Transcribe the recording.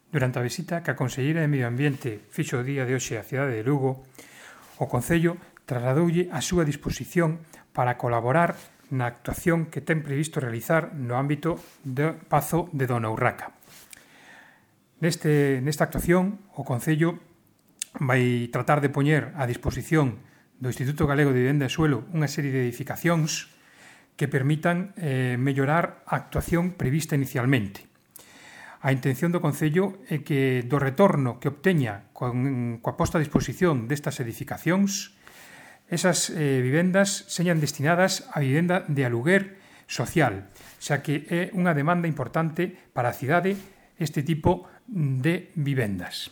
Durante a visita que a Conselleira de Medio Ambiente fixo o día de hoxe á cidade de Lugo, o Concello trasladoulle a súa disposición para colaborar na actuación que ten previsto realizar no ámbito do Pazo de Dona Urraca. Nesta actuación, o Concello vai tratar de poñer a disposición do Instituto Galego de Vivenda e Suelo unha serie de edificacións que permitan mellorar a actuación prevista inicialmente. A intención do Concello é que do retorno que obteña coa posta a disposición destas edificacións, esas vivendas señan destinadas a vivenda de aluguer social, xa que é unha demanda importante para a cidade este tipo de vivendas.